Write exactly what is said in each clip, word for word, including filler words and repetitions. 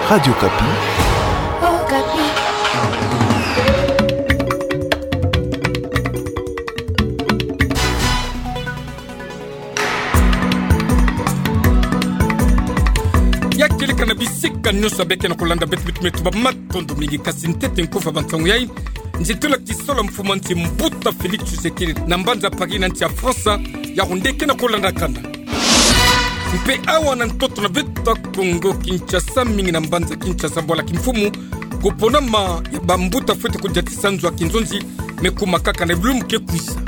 Radio Okapi. Okapi. Ya kieleka na bisika nyonso abê ke na kolanda beto, beto, beto, bamatondo mingi. Kasi ntete nkufi ya bansangu yai, nzitula kisalu ya mfumu a nsi, Mbuta Félix Tshisekedi, na mbanza Paris na nsi ya France, yau nde ke na kolandakana. Mpe awa na ntoto na beto ya Kongo Kinshasa, mingi na mbanza Kinshasa, bwala kimfumu, koponama ya bambuta fwete kudiatisa nzo ya kinzonzi, me kuma kaka na bilumbu ke kwisa.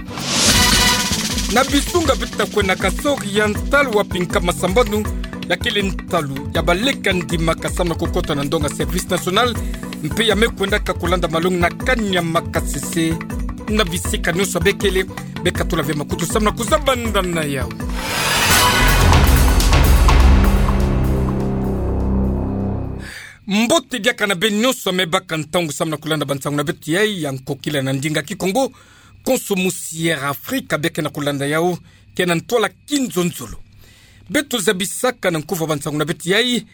Na bisonga beto kwenda Kasaï Oriental, wapi nkama sambanu, ya kele ntalu ya baleka ndimaka samu na kukota na ndonga service national, mpe ya me kwendaka kolanda malongi na kani ya makasese. Na bisika nyonso abê kele, beka tula ve makutu samu na kuzabanda na yau. Mbote diaka na bê nyonso me baka ntangu samu na kolanda bansangu na beto yai ya nkokila na ndinga Kikongo, konso musi Air Afrika bê ke na kolanda yau, ke na ntwala kinzonzolo. Beto zabisaka na nkufi ya bansangu na beto yai,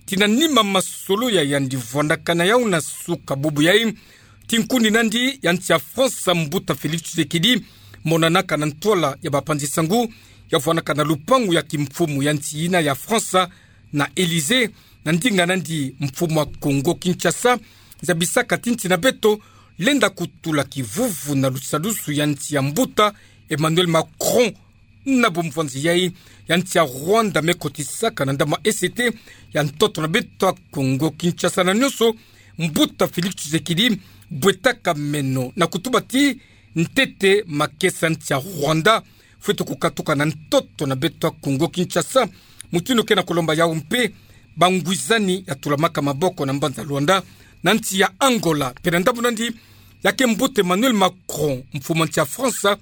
ti na nima masolo ya yandi vwandaka na yau na suka bubu yai, ti nkuni nandi ya nsi ya France, Mbuta Félix Tshisekedi, monanaka na ntwala ya bapanzi sangu, ya vwandaka na lupangu ya kimfumu ya nsi yina ya France, na Élysée, na ndinga nandi mfumu a Kongo Kinshasa, zabisaka ti nsi na beto lenda kutula kivuvu na lusadusu ya nsi ya Mbuta Emmanuel Macron, na bumvwanzi yai ya nsi ya Rwanda me kotisaka na ndambu ya E C T ya ntoto na beto ya Kongo Kinshasa. Na nyonso, Mbuta Félix Tshisekedi bwetaka meno na kutuba ti ntete makesa nsi ya Rwanda fwete kukatuka na ntoto na beto ya Kongo Kinshasa, mutindu ke na kolomba yau mpe bangwizani ya tulamaka maboko na mbanza Luanda, na nsi ya Angola. Mpe na ndambu nandi, ya ke Mbuta Emmanuel Macron, mfumu a nsi ya France,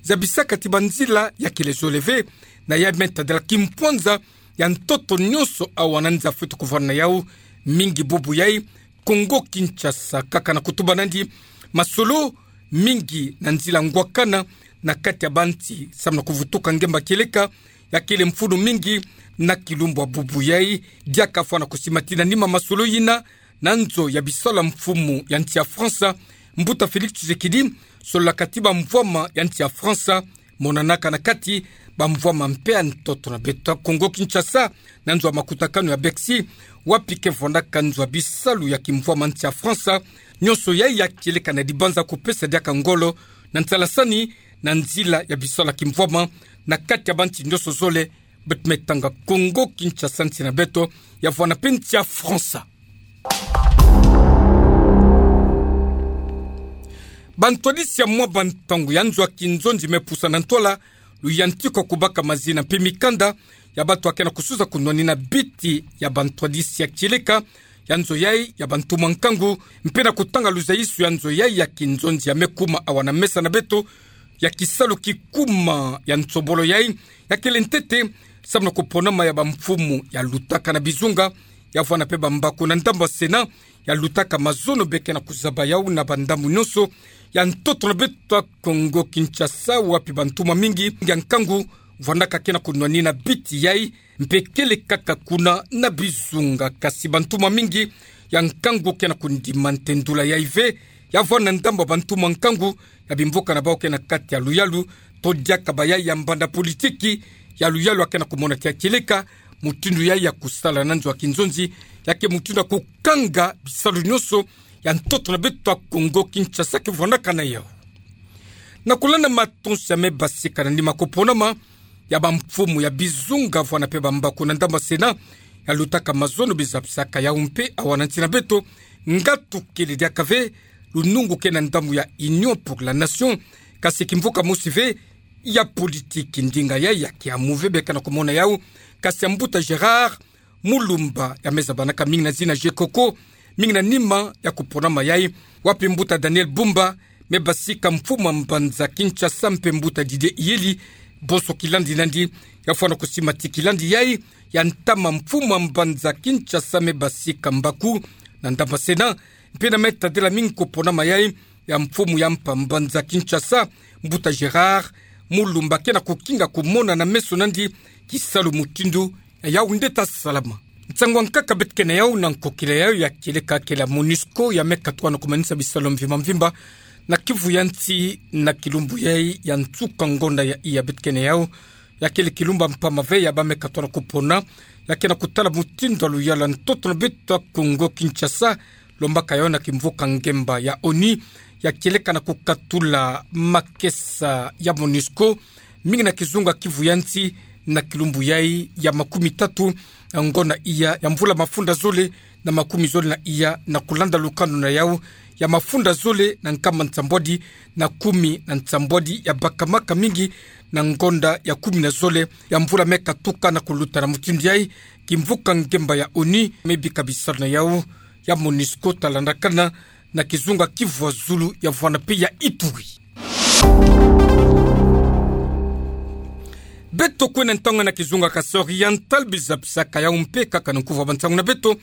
zabisaka ti banzila ya kele zole ve, na ya me tadala kimpwanza ya ntoto nyonso awa na nza fwete kuvwanda na yau, mingi bubu yai Kongo Kinshasa, kaka na kutuba nandi masolo mingi na nzila ngwakana na kati ya bansi samu na kuvutuka ngemba kieleka, ya kele mfunu mingi na kilumbu ya bubu yai. Diaka fwana kusima ti na nima masolo yina, na nzo ya bisalu ya mfumu ya nsi ya France, Mbuta Félix Tshisekedi, sololaka ti bamvwama ya nsi ya France, monanaka na kati bamvwama mpe ya ntoto na beto ya Kongo Kinshasa, na nzo ya makutakanu ya Bercy, wapi ke vwandaka nzo ya bisalu ya kimvwama nsi ya France. Nyonso yai ya kieleka na dibanza kupesa diaka ngolo na nsalasani na nzila ya bisalu ya kimvwama na kati ya bansi nyonso zole, beto me tanga Kongo Kinshasa, nsi na beto, ya vwanda mpe nsi ya France. Bantwadisi ya mwa bantangu ya nzo ya kinzonzi me pusa na ntwala luyantikwa kubaka mazina mpe mikanda ya bato ya ke na kusuza kunwanina biti ya bantwadisi ya kieleka ya nzo yai ya bantumwa nkangu, mpe na kutanga luzaisu ya nzo yai ya kinzonzi ya me kuma awa na mesa na beto, ya kisalu kikuma ya nsobolo yai, ya kele ntete samu na kuponama ya bamfumu ya lutaka na bizunga, ya vwanda mpe bambaku na ndambu ya Sénat, ya lutaka mazono be ke na kuzaba yau na bandambu nyonso ya ntoto na beto ya Kongo Kinshasa, wapi bantumwa mingi ya nkangu vwandaka ke na kunwanina biti yai, mpe kele kaka kuna na bizunga. Kasi bantumwa mingi ya nkangu ke na kundima ntendula yai ve, ya vwanda ndambu ya bantumwa nkangu ya bimvuka na bau ke na kati ya luyalu, to diaka bayai ya mbanda politiki ya luyalu ya ke na kumona ti ya kieleka mutindu yai ya kusala na nzo ya kinzonzi, ya ke mutindu ya kukanga bisalu nyonso ya ntoto na beto ya Kongo Kinshasa ke vwandaka na yau. Na kulanda matonsi ya me basika na nima kuponama ya bamfumu ya bizunga, vwanda mpe bambaku na ndambu ya Sénat ya lutaka mazono, bizabisaka yau mpe awa na nsi na beto, nga tukele diaka ve lunungu ke na ndambu ya Union pour la Nation, kasi kimvuka mosi ve ya politiki, ndinga yai ya Kiamu ve be ke na kumona yau, kasi ya mbuta Gérard Mulumba, ya me zabanaka mingi na zina Gecoco, mingi na nima ya kuponama yai, wapi mbuta Daniel Bumba me basika mfumu a mbanza Kinshasa, mpe mbuta Didier Iyeli, bonso kilandi nandi, ya fwana kusima ti kilandi yai ya ntama mfumu a mbanza Kinshasa me basika mbaku na ndambu ya Sénat, mpe na me tadela mingi kuponama yai ya mfumu ya mpa mbanza Kinshasa, mbuta Gérard Mulumba, ke na kukinga kumona na meso nandi kisalu mutindu yau nde ta salama. Nsangu ya nkaka beto kena yau na nkokila yayo ya kieleka kele ya MONUSCO ya me katuka na kumanisa bisalu mvimba mvimba na Kivu ya nsi na kilumbu yai ya nsuka ngonda ya iya beto kena yau. Ya kele kilumbu ya mpamba ve ya ba me katuka na kupona, ya kena kutala mutindu ya luyala ntoto na beto ya Kongo Kinshasa, lombaka yau na kimvuka ngemba ya ONU ya kieleka na kukatula makesa ya MONUSCO mingi na kizunga Kivu ya nsi na kilumbu yai ya makumi tatu ngonda iya ya mvula mafunda zole na makumi zole na iya, na kulanda lukanu na yau ya mafunda zole na nkama nsambwadi na kumi na nsambwadi ya bakamaka mingi na ngonda ya kumi na zole ya mvula me katuka. Na kuluta na mutindu yai, kimvuka ngemba ya ONU me bika bisalu na yau ya MONUSCO ta landakana na kizunga Kivu ya zulu ya vwanda mpe ya Ituri. Beto kwenda ntangu na kizunga Kasaï Oriental, biza bisaka yau mpe kaka na nkuvu ya bansangu na beto,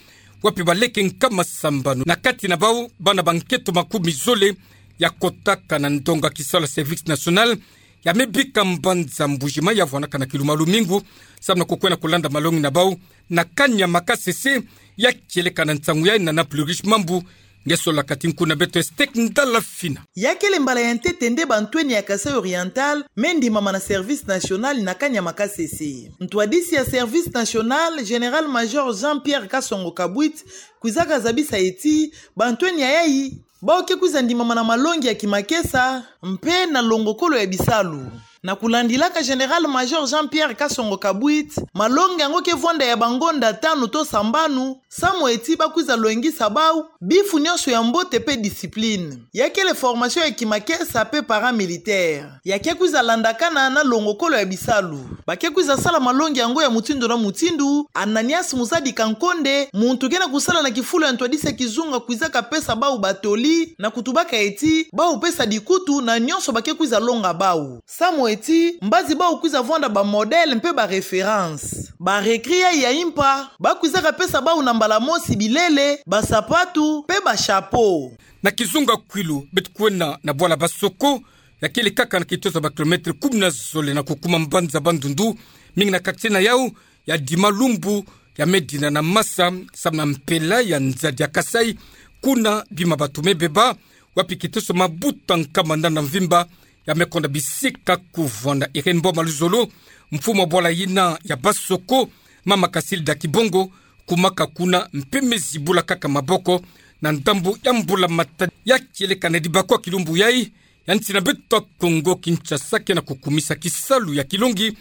wapi baleke nkama sambanu na kati na bau bana ba nketo makumi zole ya kotaka na ndonga kisalu ya service national ya me bika mbanza Mbuji-Mayi ya vwanaka na kilumbu ya lumingu, samu na kukwenda kulanda malongi na bau na kani ya Makasese. Ya kieleka na nsangu yai na Nana Plurish Mambu, nge sola kati nku na beto Estek Ndala Fina. Ya kele mbala ya ntete nde bantweni ya Kasaï Oriental me ndimama na service national na kani ya Makasese. Ntwadisi ya service national, Général-Major Jean-Pierre Kasongo Kabwit, kwizaka zabisa ti bantweni ya yai bau ke kwiza ndimama na malongi ya kimakesa mpe na longokolo ya bisalu. Na kulandilaka Général-Major Jean-Pierre Kasongo Kabwit, malongi yango ke vwanda ya bangonda tanu to sambanu, samu ti ba kwiza lwengisa bau bifu nyonso ya mbote mpe discipline. Ya kele formation ya kimakesa mpe paramilitaire. Ya ke kwiza landakana na longokolo ya bisalu. Ba ke kwiza sala malongi yango ya mutindu na mutindu, Ananias Muzadi Kankonde, muntu ke na kusala na kifulu ya ntwadisi ya kizunga, kwizaka pesa bau batoli, na kutubaka ti bau pesa dikutu na nyonso ba ke kwiza longa bau. Samu ti mbazi bau kwiza vwanda ba modèle mpe ba référence. Ba recrues ya impa, ba kwizaka pesa bau na mbala mosi bilele, ba sapatu, mpe ba chapeau. Na kizunga Kwilu, beto kwenda na bwala Basoko, ya kele kaka na kitoto ya ba kilomètre kumi na zole na kukuma mbanza Bandundu, mingi na quartier na yau ya Dima Lumbu, ya me dinda na masa samu na mpela ya nzadi ya Kasaï, kuna bima bato me beba, wapi kitoto ya mabuta nkama nana mvimba ya me konda bisika kuvwanda. Irène Mboma Luzolo, mfumu ya bwala yina ya Basoko, mama Casilda Kibongo, kumaka kuna mpe me zibula kaka maboko na ndambu ya mbula matadi. Ya kieleka na dibakwa kilumbu yai, ya nsi na beto ya Kongo Kinshasa ke na kukumisa kisalu ya kilongi,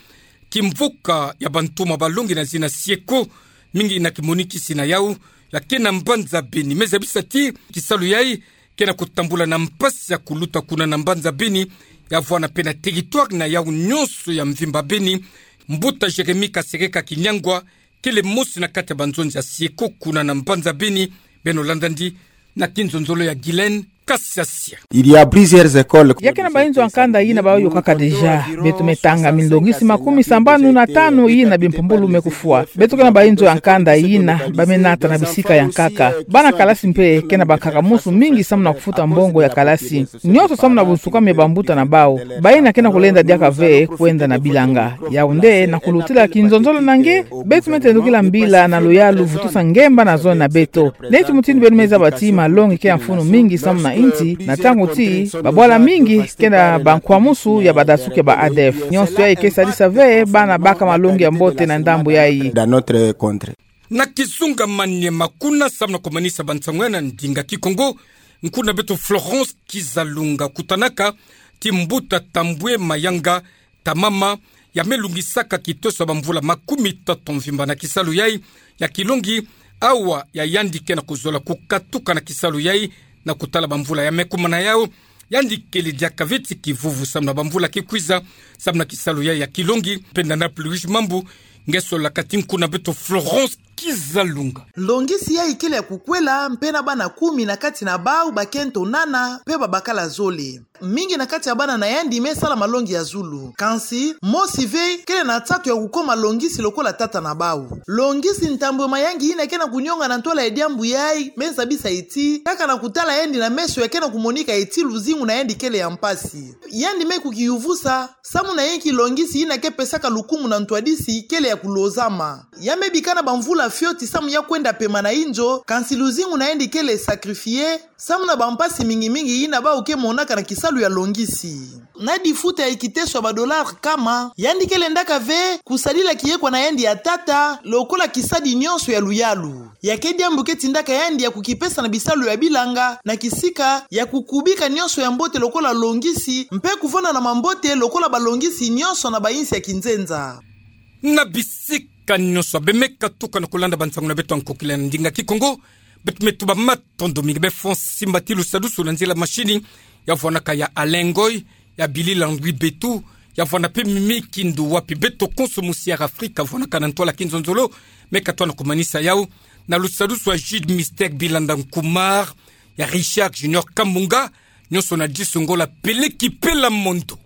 kimvuka ya bantoma balongi na zina SIECO, mingi na kimonikisi na yau ya ke na mbanza Beni. Me zabisa ti kisalu yai ke na kutambula na mpasi ya kuluta kuna na mbanza Beni, ya vwanda mpe na territoire na yau nyonso ya mvimba Beni. Mbuta Jérémie Kasereka Kinyangwa, kele mosi na kati ya banzonzi ya SIECO kuna na mbanza Beni. Beno landa ndi na kinzonzolo ya Guylaine Kasiasia. Il y a plusieurs écoles. Ya ke na bainzo ya nkanda yina bau yokaka déjà. Beto me tanga minlongisi makumi sambanu na tanu yina bimpumbulu me kufwa. Beto ke na bainzo ya nkanda yina ba me nata na bisika ya nkaka. Bana kalasi mpe ke na bankaka-musu mingi samu na kufuta mbongo ya kalasi. Nyonso samu na bunsukami ya bambuta na bau. Bayina ke na kulenda diaka ve kwenda na bilanga. Yau nde na kulutila kinzonzolo na nge, beto me tendukila mbila na luyalu vutusa ngemba na zone na beto. Neti mutindu beno me zaba ti malongi ke ya mfunu mingi samu na insi, na ntangu ti babwala mingi ke na bankwa-musu ya badasuki ya ba ADF. Nyonso yai ke sadisa ve bana baka malongi ya mbote na ndambu yai. Dans notre contrée. Na kizunga Maniema kuna, samu na kumanisa bansangu ya na ndinga Kikongo, nku na beto Florence Kizalunga kutanaka ti mbuta Tambwe Mayanga Tamama, ya me lungisaka kitoto ya bamvula makumi tatu mvimba na kisalu yai ya kilongi, awa ya yandi ke na kuzola kukatuka na kisalu yai na kutala bamvula ya me kuma na yau. Yandi kele diaka ve ti kivuvu samu na bamvula ke kwiza, samu na kisalu yai ya kilongi. Mpe nana Plurish Mambu, nge sola kati nku na beto Florence Kizalunga. Nlongisi yai kele ya kukwela, mpe na bana kumi na kati na bau bakento nana, mpe babakala zole. Mingi na kati ya bana na yandi me sala malongi ya zulu. Kansi, mosi ve kele na nsatu ya kukoma nlongisi lokola tata na bau. Nlongisi Tambwe Mayanga yina ke na kunionga na ntwala ya diambu yai, me zabisa ti, kaka na kutala yandi na meso ya ke na kumonika ti luzingu na yandi kele ya mpasi. Yandi me kukiyuvusa, samu na yinki nlongisi yina ke pesaka lukumu na ntwadisi kele ya kulozama. Ya me bika na bamvula fioti samu ya kwenda pema na inzo, kansi luzingu na yandi kele sacrifier samu na bampasi mingi mingi yina bau ke monaka na kisalu ya longisi. Na difuta ya kiteso ya ba dollars nkama, yandi kele ndaka ve kusadila kiyekwa na yandi ya tata lokola kisadi nyonso ya luyalu. Ya ke diambu ke tindaka yandi ya kukipesa na bisalu ya bilanga, na kisika ya kukubika nyonso ya mbote lokola longisi, mpe kuvanda na mambote lokola balongisi nyonso na bayinsi ya kinzenza. Na bisika nyonso, beno me katuka na kulanda bansangu na beto ya nkokila na ndinga Kikongo. Beto me tuba matondo mingi. Beno fweti simba ti lusadusu na nzila mashini, ya vwanaka ya Alain Ngoy, ya Billy Landry Betu, ya vwana mpe Mimi Kindu, wapi beto konso musi ya Afrika vwanaka na ntwala kinzonzolo. Me katuka na kumanisa yau na lusadusu ya Jude Mister Bilanda Nkumar, ya Richard Junior Kamunga, nyonso na disu ngola Peleki Pela Mondo.